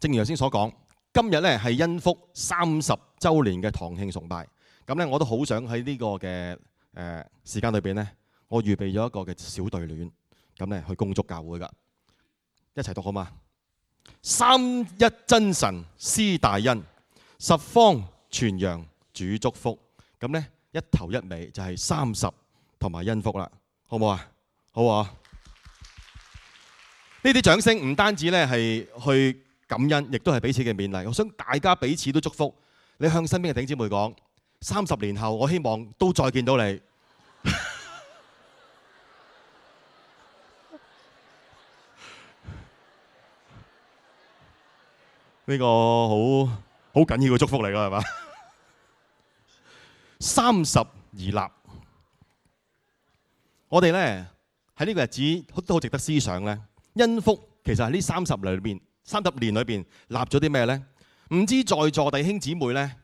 正如頭先所講，今日咧係恩福30週年嘅堂慶崇拜。咁咧我都好想喺呢個嘅時間裏邊咧，我預備咗一個嘅小對聯，咁咧去恭祝教會噶，一齊讀好嗎？三一真神施大恩，十方傳揚主祝福。咁咧一頭一尾就係30同埋恩福啦，好唔好啊？好啊！呢啲掌聲唔單止咧係去感恩，亦都係彼此嘅勉勵。我想大家彼此都祝福。你向身邊嘅弟兄姊妹講：30年後，我希望都再見到你。呢個好緊要嘅祝福嚟㗎，係嘛？30而立，我哋咧喺呢個日子都好值得思想咧。恩福其實喺呢30年裏邊立咗啲咩咧？唔知在座弟兄姊妹咧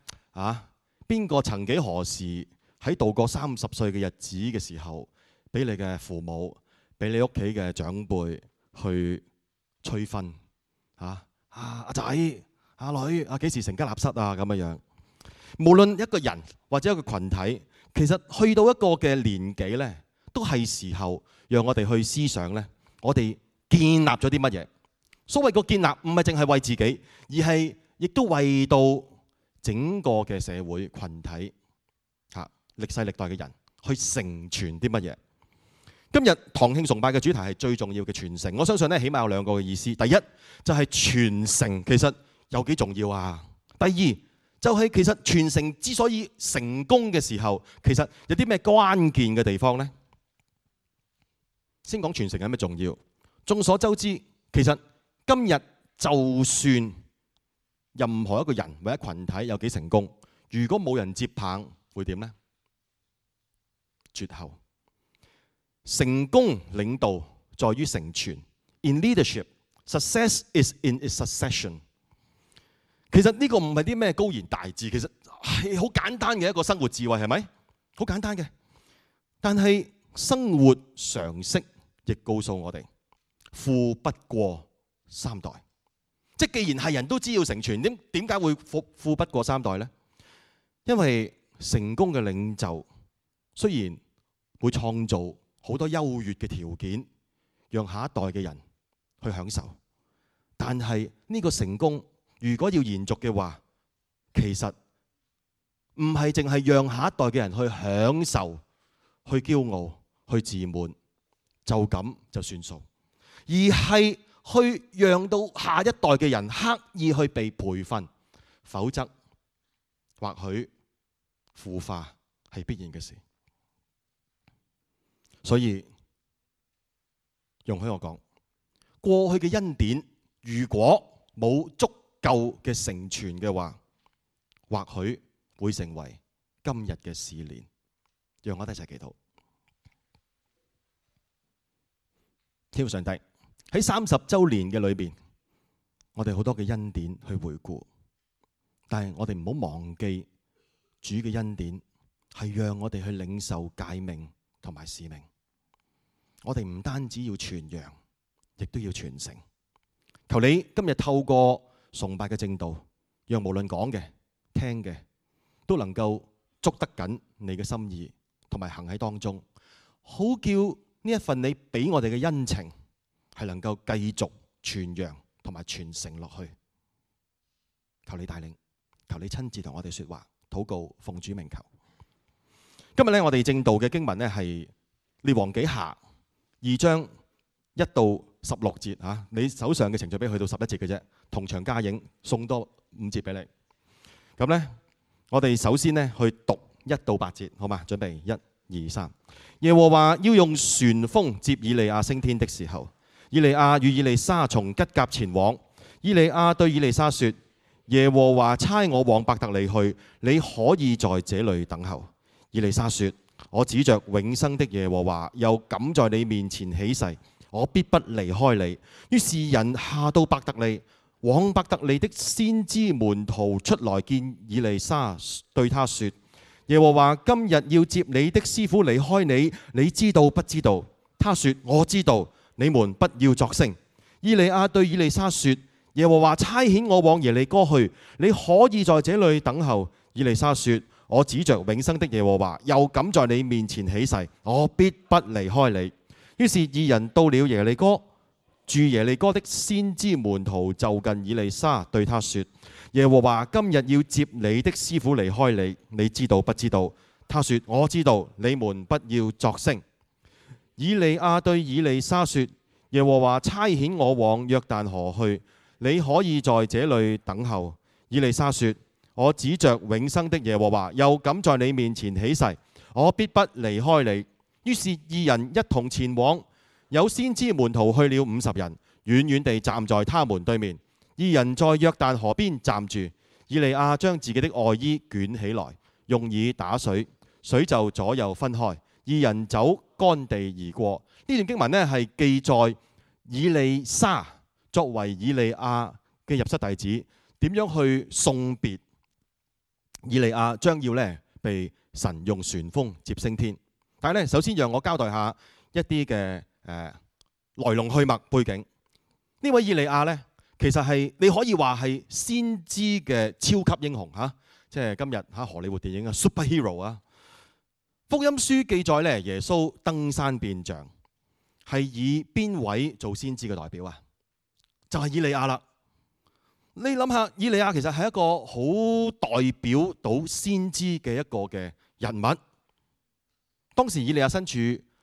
邊個曾幾何時喺度過30歲嘅日子嘅時候，俾你嘅父母、俾你屋企嘅長輩去催婚阿仔、阿女幾時成家立室啊咁樣。無論一個人或者一個群體，其實去到一個嘅年紀咧，都係時候讓我哋去思想咧，我哋建立咗啲乜嘢？所謂個建立唔係淨係為自己，而係亦都為到整個嘅社會群體歷世歷代嘅人去成全啲乜嘢？今日堂慶崇拜嘅主題係最重要嘅傳承。我相信咧，起碼有2個嘅意思。第一就係傳承，其實有幾重要啊？第二就係其實傳承之所以成功嘅時候，其實有啲咩關鍵嘅地方呢？先講傳承有咩重要？眾所周知，其實今日就算任何一個人或者群體有幾成功，如果冇人接棒，會點呢？絕後。成功領導在於成全。In leadership, success is in its succession。其實呢個唔係啲咩高言大智，其實係好簡單嘅一個生活智慧，係咪？好簡單嘅。但係生活常識亦告訴我哋，富不過3代。即既然係人都知要成全，點解會富不過3代呢？因為成功嘅領袖雖然會創造好多優越嘅條件，讓下一代嘅人去享受，但係呢個成功如果要延續嘅話，其實唔係淨係讓下一代嘅人去享受、去驕傲、去自滿，就咁就算數，而係去讓到下一代嘅人刻意去被培訓，否則或許腐化係必然嘅事。所以容許我講，過去嘅恩典如果冇足夠嘅成全嘅話，或許會成為今日嘅試煉。讓我哋一齊祈禱。天父上帝，喺30週年嘅裏邊，我哋好多嘅恩典去回顧，但係我哋唔好忘記主嘅恩典係讓我哋去領受誡命同埋使命。我哋唔單止要傳揚，亦都要傳承。求你今日透過崇拜嘅正道，讓無論講嘅、聽嘅，都能夠捉得緊你嘅心意，同埋行喺當中，好叫呢一份你俾我哋嘅恩情係能夠繼續傳揚同埋傳承落去。求你帶領，求你親自同我哋說話，禱告奉主名求。今日我哋正道嘅經文係列王紀下2章1到16節。你手上嘅程序俾去到11節嘅啫，同場加映，送多5節俾你。咁我哋首先去讀1到8節，好嘛？準備1、2、3。耶和華要用旋風接以利亞升天的時候，以利亞與以利沙從吉甲前往。以利亞對以利沙說：耶和華差我往伯特利去，你可以在這裏等候。以利沙說：我指着永生的耶和華，又敢在你面前起誓，我必不離開你。於是人下到伯特利，往伯特利的先知門徒出來見以利沙，對他說：耶和華今日要接你的師傅離開你，你知道不知道？他說：我知道。你們不要作聲。以利亞對以利沙說：耶和華差遣我往耶利哥去，你可以在這裏等候。以利沙說：我指着永生的耶和華，又敢在你面前起誓，我必不離開你。於是二人到了耶利哥，住耶利哥的先知門徒就近以利沙，對他說：耶和華今日要接你的師傅離開你，你知道不知道？他說：我知道。你們不要作聲。以利亞對以利沙說：耶和華差遣我往約旦河去，你可以在這裏等候。以利沙說：我指着永生的耶和華，又敢在你面前起誓，我必不離開你。於是二人一同前往，有先知門徒去了50人，遠遠地站在他們對面。二人在約旦河邊站住，以利亞將自己的外衣捲起來，用以打水，水就左右分開，二人走乾地而過。呢段經文呢係記載以利沙作為以利亞嘅入室弟子，點樣去送別以利亞將要呢被神用旋風接升天。但係呢，首先讓我交代下一啲嘅來龍去脈背景。呢位以利亞呢，其實係你可以話係先知嘅超級英雄嚇，即係今日嚇荷里活電影嘅 superhero 啊。福音書記載呢，耶穌登山變像係以邊位做先知嘅代表啊？就係以利亞啦。你諗下，以利亞其實係一個好代表到先知嘅一個嘅人物。當時以利亞身處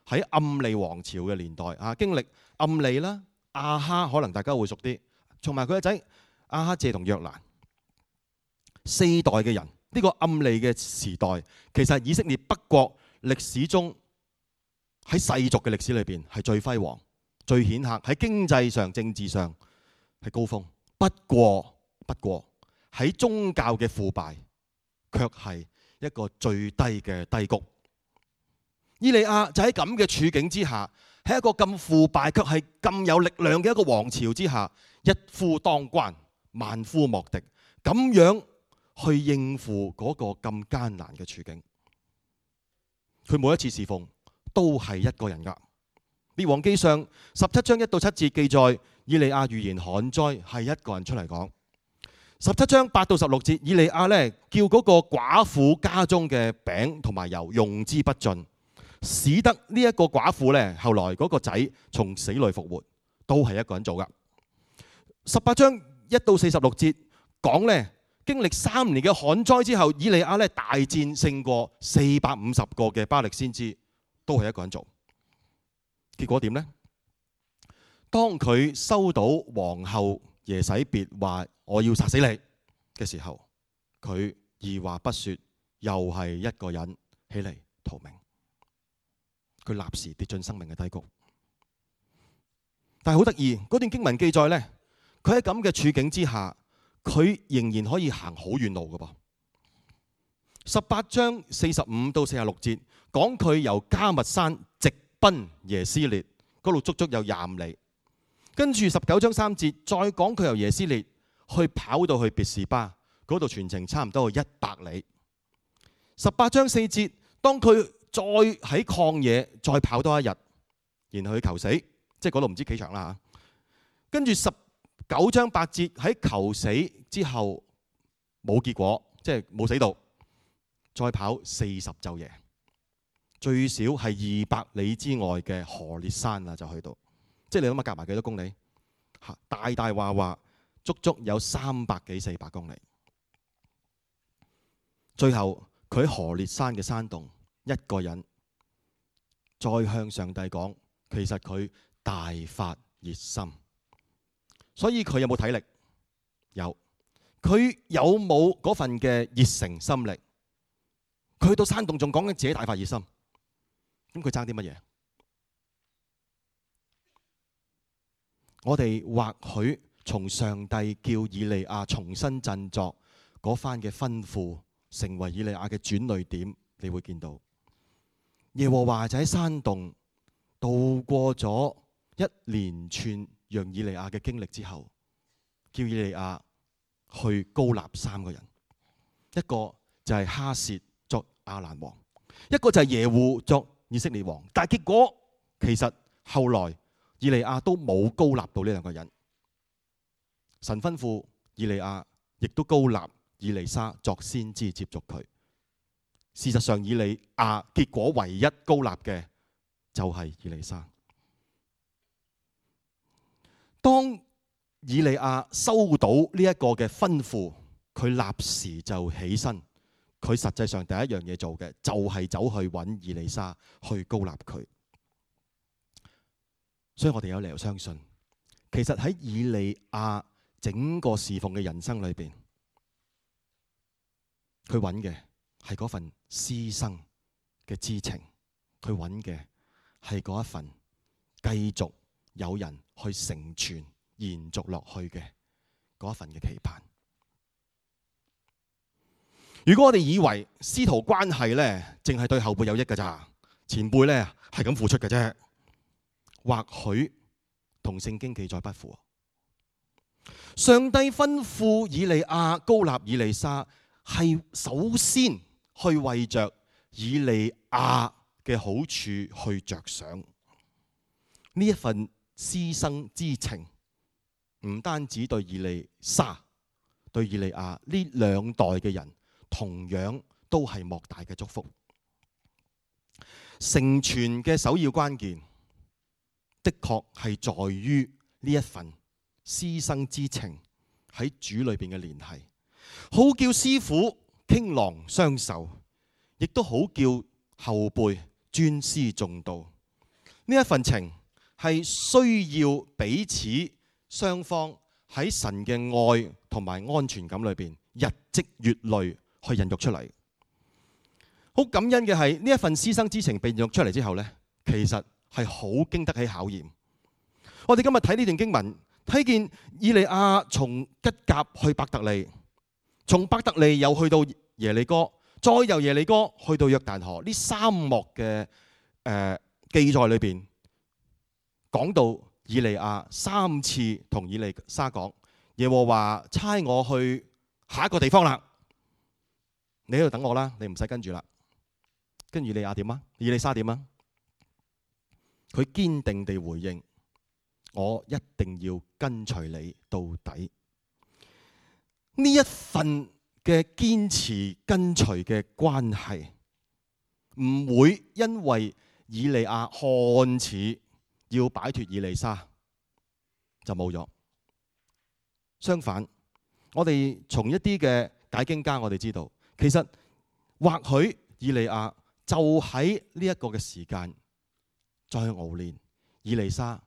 喺暗利王朝嘅年代啊，經歷暗利啦、亞哈，可能大家會熟啲，同埋佢個仔亞哈謝同約蘭4代嘅人。呢個暗利嘅時代，其實以色列北國歷史中喺世俗嘅歷史裏邊係最輝煌、最顯赫，喺經濟上、政治上係高峰。不過喺宗教嘅腐敗，卻係一個最低嘅低谷。以利亞就喺咁嘅處境之下，喺一個咁腐敗卻係咁有力量嘅一個王朝之下，一夫當關，萬夫莫敵，咁樣去應付嗰個咁艱難嘅處境。佢每一次侍奉都係一個人㗎。列王記上17章1到7節記載，以利亞預言旱災係一個人出嚟講。17章8到16節，以利亞呢叫嗰個寡婦家中嘅餅同埋油用之不盡，使得呢一個寡婦呢後來嗰個仔從死裏復活，都係一個人做㗎。18章1到46節講呢，經歷3年嘅旱災之後，以利亞呢大戰勝過450個嘅巴力先知，都係一個人做。結果點呢？當佢收到皇后耶洗別話我要殺死你嘅時候，佢二話不說，又係一個人起嚟逃命。佢立時跌進生命嘅低谷。但係好得意，嗰段經文記載呢，佢喺咁嘅處境之下，佢仍然可以行好遠路㗎噃。18章45到46節講佢由加密山直奔耶斯列，嗰度足足有25里。跟住19章3節再講佢由耶斯列去跑到去別是巴，嗰度全程差唔多100里。18章4節當佢再喺曠野再跑多一日，然後去求死，即係嗰度唔知幾長啦嚇。跟住19章8節喺求死之後冇結果，即係冇死到，再跑40晝夜，最少係200里之外嘅何烈山啦，就去到，即係你諗下夾埋幾多公里？大大話話足足有300幾400公里。最後佢喺何烈山嘅山洞一個人，再向上帝講，其實佢大發熱心。所以佢有冇體力？有。佢有冇嗰份嘅熱誠心力？佢去到山洞仲講緊自己大發熱心。咁佢爭啲乜嘢？我哋或許從上帝叫以利亞重新振作嗰番嘅吩咐，成為以利亞嘅轉捩點，你會見到耶和華就喺山洞度過咗一連串讓以利亞嘅經歷之後，叫以利亞去膏立3個人，一個就係哈薛作亞蘭王，一個就係耶戶作以色列王。但係結果其實後來以利亞都冇膏立到呢2個人，神吩咐以利亞，亦都膏立以利沙作先知接續佢。事實上，以利亞結果唯一膏立嘅就係以利沙。當以利亞收到呢一個嘅吩咐，佢立時就起身。佢實際上第一樣嘢做嘅就係走去揾以利沙去膏立佢。所以我哋有理由相信，其實喺以利亞整個侍奉嘅人生裏邊，佢揾嘅係嗰份師生嘅知情，佢揾嘅係嗰一份繼續有人去成全、延續落去嘅嗰一份嘅期盼。如果我哋以為師徒關係咧，淨係對後輩有益㗎咋，前輩咧係咁付出嘅啫，或許同聖經記載不符。上帝吩咐以利亞膏立以利沙，係首先去為着以利亞嘅好處去着想。呢一份師生之情，唔單止對以利沙、對以利亞呢兩代嘅人，同樣都係莫大嘅祝福。成全嘅首要關鍵，的確係在於呢一份師生之情喺主裏邊嘅聯繫，好叫師傅傾囊相授，亦都好叫後輩尊師重道。呢一份情係需要彼此雙方喺神嘅愛同埋安全感裏邊日積月累去孕育出嚟。好感恩嘅係呢一份師生之情被孕育出嚟之後呢，其實係好經得起考驗。我哋今日睇呢段經文，睇見以利亞從吉甲去伯特利，從伯特利又去到耶利哥，再由耶利哥去到約旦河。呢三幕嘅記載裏邊，講到以利亞三次同以利沙講，耶和華差我去下一個地方啦，你喺度等我啦，你唔使跟住啦。跟住以利亞點啊？以利沙點啊？佢堅定地回應，我一定要跟隨你到底。呢一份嘅堅持跟隨嘅關係，唔會因為以利亞看似要擺脫以利沙就冇咗。相反，我哋從一啲嘅解經家，我哋知道，其實或許以利亞就喺呢一個嘅時間，再去熬練以利沙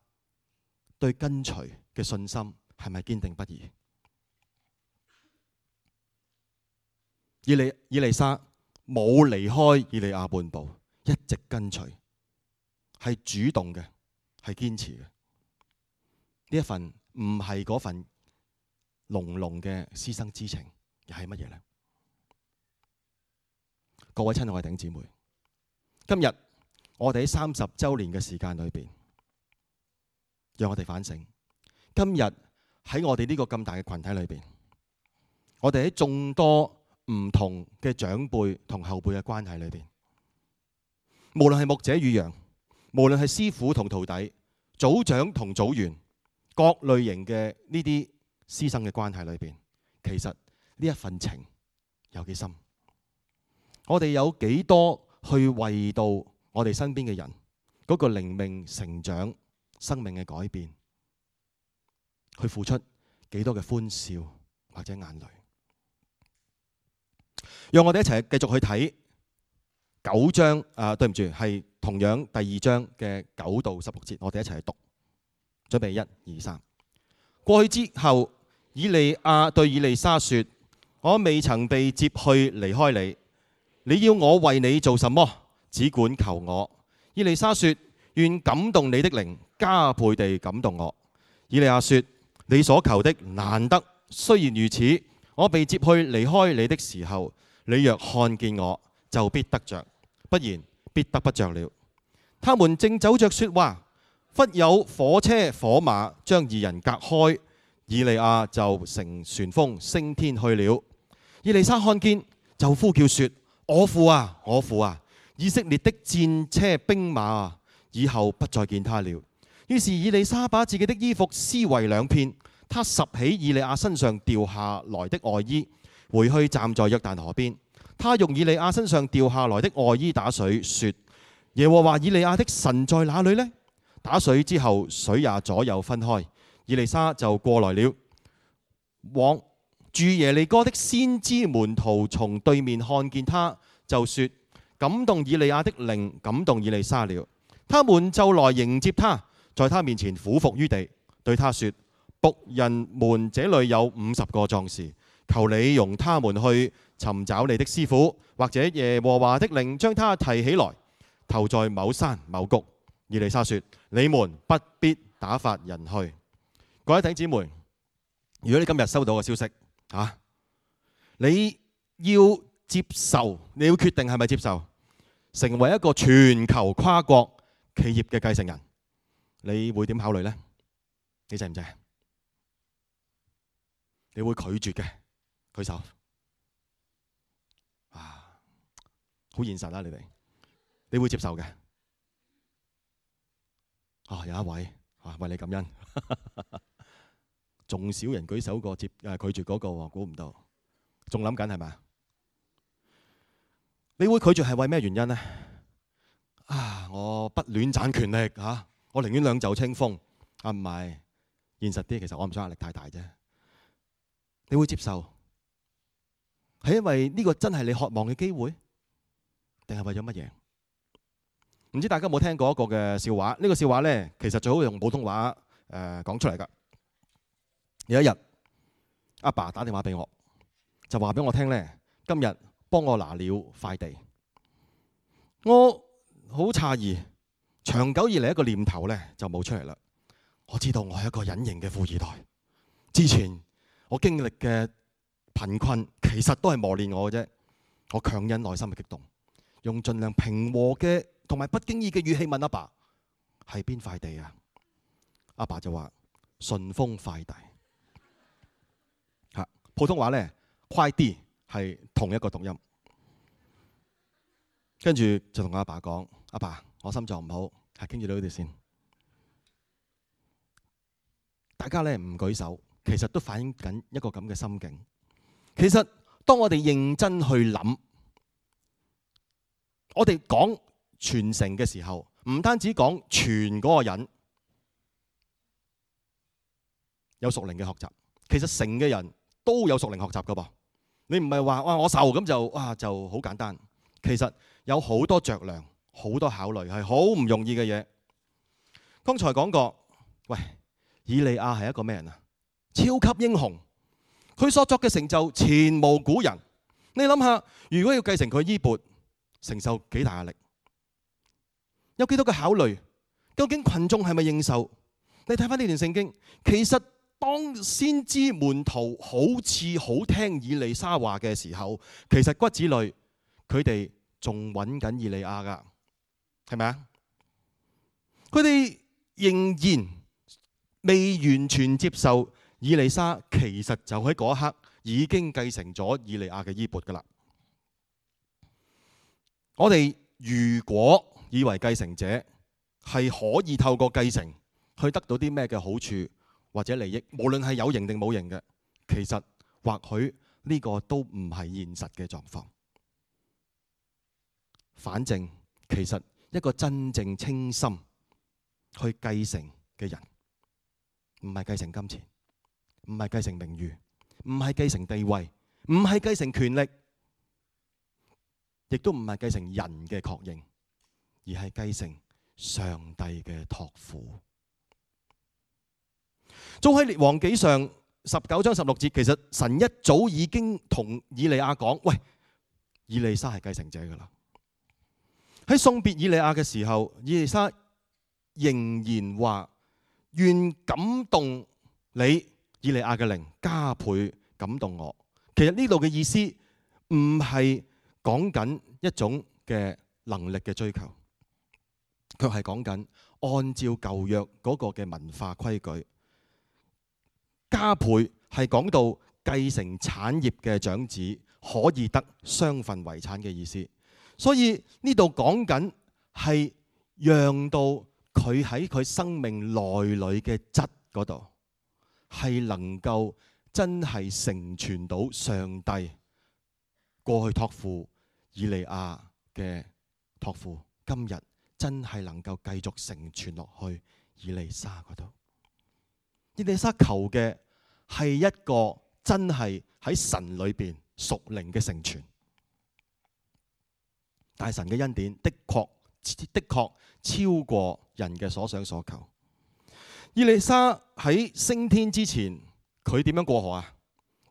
對跟隨嘅信心係咪堅定不移？以利沙冇離開以利亞半步，一直跟隨，係主動嘅，係堅持嘅。呢一份唔係嗰份濃濃嘅師生之情，又係乜嘢呢？各位親愛嘅弟兄姊妹，今日我哋喺30週年嘅時間裏邊，讓我哋反省。今日喺我哋呢個咁大嘅群體裏邊，我哋喺眾多唔同嘅長輩同後輩嘅關係裏邊，無論係牧者與羊，無論係師傅同徒弟、組長同組員，各類型嘅呢啲師生嘅關係裏邊，其實呢一份情有幾深？我哋有幾多去為到我哋身邊嘅人嗰個靈命成長、生命嘅改變，去付出幾多嘅歡笑或者眼淚？讓我哋一齊繼續去睇9章，對唔住，係同樣第2章嘅9到16節，我哋一齊去讀。準備1、2、3。過去之後，以利亞對以利沙說：我未曾被接去離開你，你要我為你做什麼？只管求我。以利沙說：願感動你的靈加倍地感動我。以利亞說：你所求的難得，雖然如此，我被接去離開你的時候，你若看見我，就必得着，不然必得不着了。他們正走着說話，忽有火車火馬將二人隔開，以利亞就乘旋風升天去了。以利沙看見，就呼叫說：我父啊，我父啊！以色列的戰車兵馬啊，以後不再見他了。於是以利沙把自己的衣服撕為兩片，他拾起以利亞身上掉下來的外衣，回去站在約旦河邊。他用以利亞身上掉下來的外衣打水，說：耶和華以利亞的神在哪裏呢？打水之後，水也左右分開。以利沙就過來了。往住耶利哥的先知門徒從對面看見他，就說：感動以利亞的靈感動以利沙了。他們就來迎接他，在他面前俯伏於地，對他說：僕人們這裏有50個壯士，求你容他們去尋找你的師傅，或者耶和華的靈將他提起來，投在某山某谷。以利沙說：你們不必打發人去。各位弟兄姊妹，如果你今日收到個消息你要接受，你要決定係咪接受，成為一個全球跨國企業嘅繼承人，你會點考慮呢？你制唔制？你會拒絕嘅，舉手。好現實啦，你會接受嘅。有一位為你感恩，仲少人舉手過拒絕嗰個喎，估唔到，仲諗緊係咪？你會拒絕係為咩原因呢？我不戀攢權力我寧願兩袖清風唔係，現實啲，其實我唔想壓力太大啫。你會接受係因為呢個真係你渴望嘅機會，定係為咗乜嘢？唔知大家有冇聽過一個嘅笑話？呢個笑話呢，其實最好用普通話講出嚟㗎。有一日，阿爸打電話俾我，就話俾我聽呢，今日幫我拿了塊地。我好詫異，長久以嚟一個念頭呢就冇出嚟啦。我知道我係一個隱形嘅富二代，之前我經歷嘅貧困其實都係磨練我嘅啫。我強忍內心嘅激動，用盡量平和嘅同埋不經意嘅語氣問阿爸：係邊塊地啊？阿爸就話：順豐快遞。普通話呢，快啲係同一個讀音。跟住就同阿爸講：阿爸，我心臟唔好，傾住到呢度先。大家呢唔舉手，其實都反映緊一個咁嘅心境。其實當我哋認真去諗，我哋講傳承嘅時候，唔單止講傳嗰個人有屬靈嘅學習，其實成嘅人都有屬靈學習噶噃。你唔係話我受咁就好簡單，其實有好多着量，好多考慮，係好唔容易嘅嘢。剛才講過，以利亞係一個咩人啊？超級英雄，佢所作嘅成就前無古人。你諗下，如果要繼承佢衣缽，承受幾大壓力？有幾多個考慮？究竟群眾係咪認受？你睇翻呢段聖經，其實當先知門徒好似好聽以利沙話嘅時候，其實骨子裏佢哋仲揾緊以利亞噶，係咪啊？佢哋仍然未完全接受以利沙，其實就喺嗰一刻已經繼承咗以利亞嘅衣缽噶啦。我哋如果以為繼承者係可以透過繼承去得到啲咩嘅好處或者利益，無論係有形定冇形嘅，其實或許呢個都唔係現實嘅狀況。反正其實一個真正清心去繼承嘅人，唔係繼承金錢，唔係繼承名譽，唔係繼承地位，唔係繼承權力，亦都唔係繼承人嘅確認，而係繼承上帝嘅託付。早喺列王紀上19章16節，其實神一早已經同以利亞講：喂，以利沙係繼承者噶啦。喺送別以利亞嘅時候，以利沙仍然話：願感動你以利亞嘅靈加倍感動我。其實呢度嘅意思唔係講緊一種嘅能力嘅追求，卻係講緊按照舊約嗰個嘅文化規矩。加倍係講到繼承產業嘅長子可以得雙份遺產嘅意思。所以呢度講緊係讓到佢喺佢生命內裏嘅質嗰度係能夠真係成全到上帝過去託付以利亞嘅託付，今日真係能夠繼續成全落去以利沙嗰度。以利沙求嘅係一個真係喺神裏邊屬靈嘅成全，但係神嘅恩典的確超過人嘅所想所求。以利沙喺升天之前，佢點樣過河啊？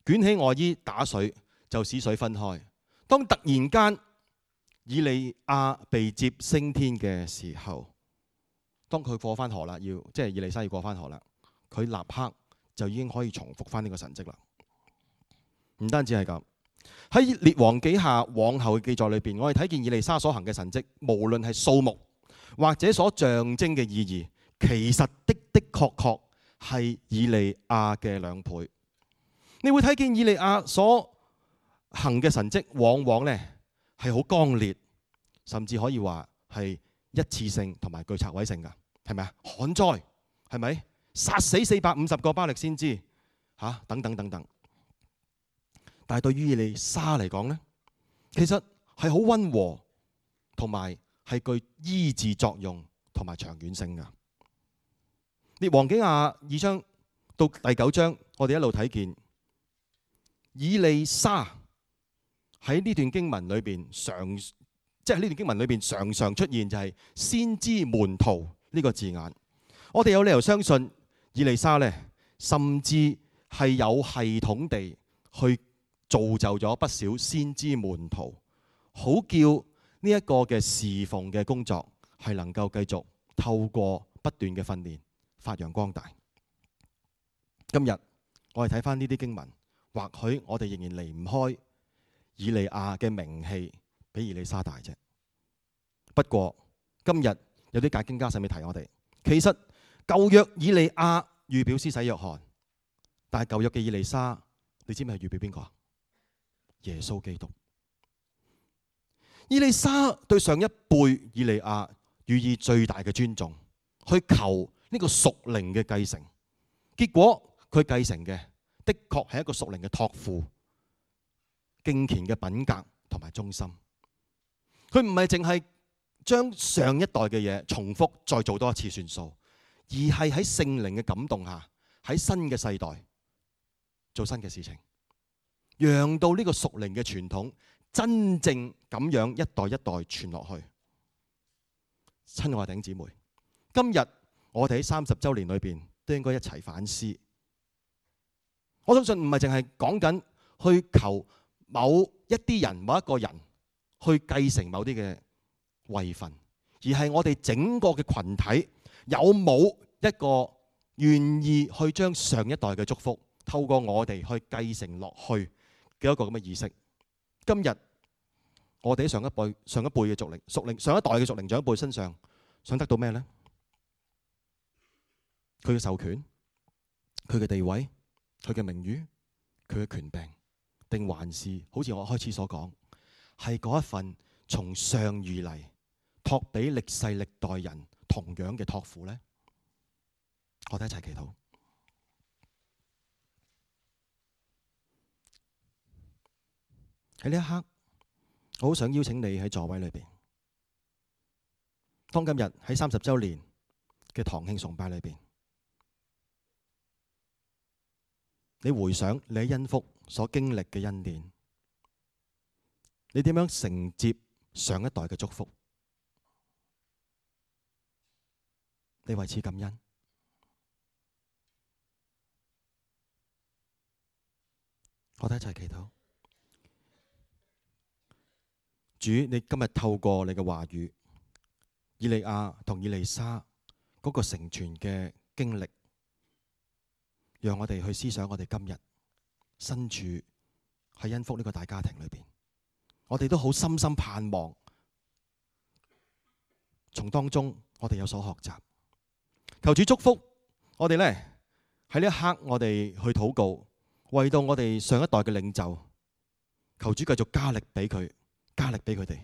捲起外衣打水，就使水分開。當突然間以利亞被接升天嘅時候，當佢過翻河啦，即係以利沙要過翻河啦，佢立刻就已經可以重複翻呢個神蹟啦。唔單止係咁，喺列王紀下往後嘅記載裏邊，我哋睇見以利沙所行嘅神蹟，無論係數目或者所象徵嘅意義，其實的確係以利亞嘅2倍。你會睇見以利亞所行嘅神蹟，往往呢係好剛烈，甚至可以話係一次性同埋具拆毀性噶，係咪啊？旱災係咪？殺死450個巴力先知等等等等。但係對於以利沙嚟講呢，其實係好溫和，同埋係具醫治作用同埋長遠性噶。列王紀下2章到第9章，我哋一路睇見以利沙喺呢段經文裏邊常常出現就係先知門徒呢個字眼。我哋有理由相信以利沙呢，甚至係有系統地去造就咗不少先知門徒，好叫呢一個嘅侍奉嘅工作係能夠繼續透過不斷嘅訓練發揚光大。今日我哋睇翻呢啲經文，或許我哋仍然離唔開以利亞嘅名氣比以利沙大啫。不過今日有啲解經家甚至提我哋，其實舊約以利亞預表施洗約翰，但係舊約嘅以利沙，你知唔知係預表邊個啊？耶穌基督。以利沙對上一輩以利亞予以最大嘅尊重，去求呢個屬靈嘅繼承。結果佢繼承嘅的確係一個屬靈嘅託付、敬虔嘅品格同埋忠心。佢唔係淨係將上一代嘅嘢重複再做多一次算數，而係喺聖靈嘅感動下，喺新嘅世代做新嘅事情，讓到呢個屬靈嘅傳統真正咁樣一代一代傳落去。親愛嘅弟兄姊妹，今日我哋喺30週年裏邊都應該一齊反思。我相信唔係淨係講緊去求某一啲人、某一個人去繼承某啲嘅位份，而係我哋整個嘅群體有冇一個願意去將上一代嘅祝福透過我哋去繼承落去嘅一個咁嘅意識。今日我哋喺上一輩嘅屬靈上一代嘅屬靈長輩身上想得到咩呢？佢嘅授權、佢嘅地位、佢嘅名譽、佢嘅權柄，定還是好似我開始所講，係嗰一份從上而嚟託俾歷世歷代人同樣嘅託付呢？我哋一齊祈禱。喺呢一刻，我好想邀請你喺座位裏邊，當今日喺30週年嘅堂慶崇拜裏邊，你回想你喺恩福所經歷嘅恩典，你點樣承接上一代嘅祝福？你為此感恩。我哋一齊祈禱。主，你今日透過你嘅話語，以利亞同以利沙嗰個成全嘅經歷，讓我哋去思想我哋今日身處喺恩福呢個大家庭裏邊，我哋都好深深盼望從當中我哋有所學習。求主祝福我哋呢，喺呢一刻我哋去禱告，為到我哋上一代嘅領袖，求主繼續加力俾佢，加力俾佢哋，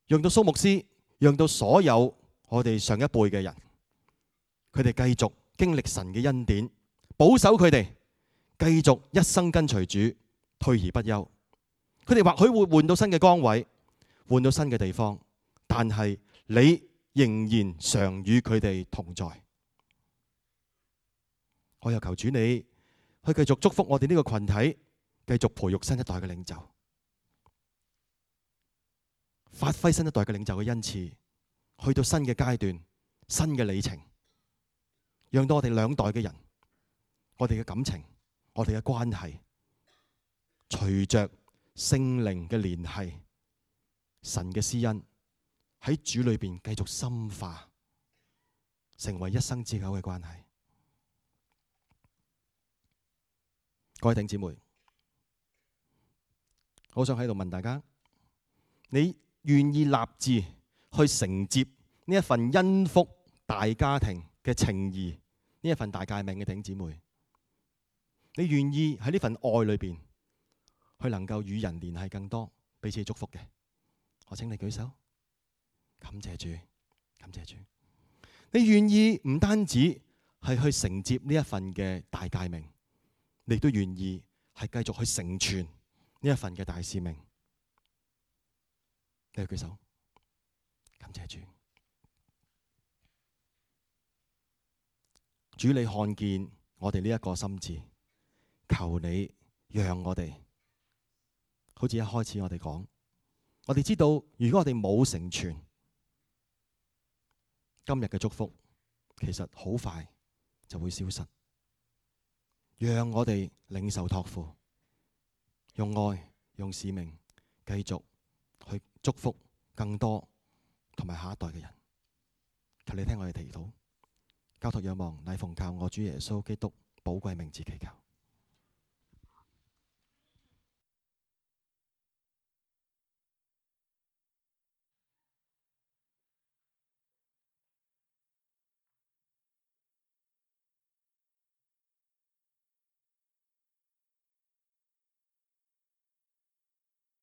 讓到蘇牧師，讓到所有我哋上一輩嘅人，佢哋繼續經歷神嘅恩典，保守佢哋繼續一生跟隨主，退而不休。佢哋或許會換到新嘅崗位，換到新嘅地方，但係你仍然常與佢哋同在。我又求主你去繼續祝福我哋呢個群體，繼續培育新一代嘅領袖，發揮新一代嘅領袖嘅恩賜，去到新嘅階段、新嘅里程，讓到我哋兩代嘅人，我哋嘅感情、我哋嘅關係，隨着聖靈嘅聯繫、神嘅施恩喺主裏邊繼續深化，成為一生之久嘅關係。各位弟兄姊妹，我想喺度問大家，你願意立志去承接呢一份恩福大家庭嘅情誼，呢一份大誡命嘅弟兄姊妹，你願意喺呢份愛裏邊去能夠與人聯繫更多，彼此祝福嘅？我請你舉手。感謝主，感謝主。你願意唔單止係去承接呢一份嘅大誡命，你都願意係繼續去成全呢一份嘅大使命。你舉手，感謝主。主，你看見我哋呢一個心志，求你讓我哋，好似一開始我哋講，我哋知道如果我哋冇成全今日嘅祝福，其實好快就會消失。讓我哋領受託付，用愛、用使命，繼續去祝福更多同埋下一代嘅人。求你聽我哋祈禱，交託仰望，乃奉靠我主耶穌基督寶貴名字祈求。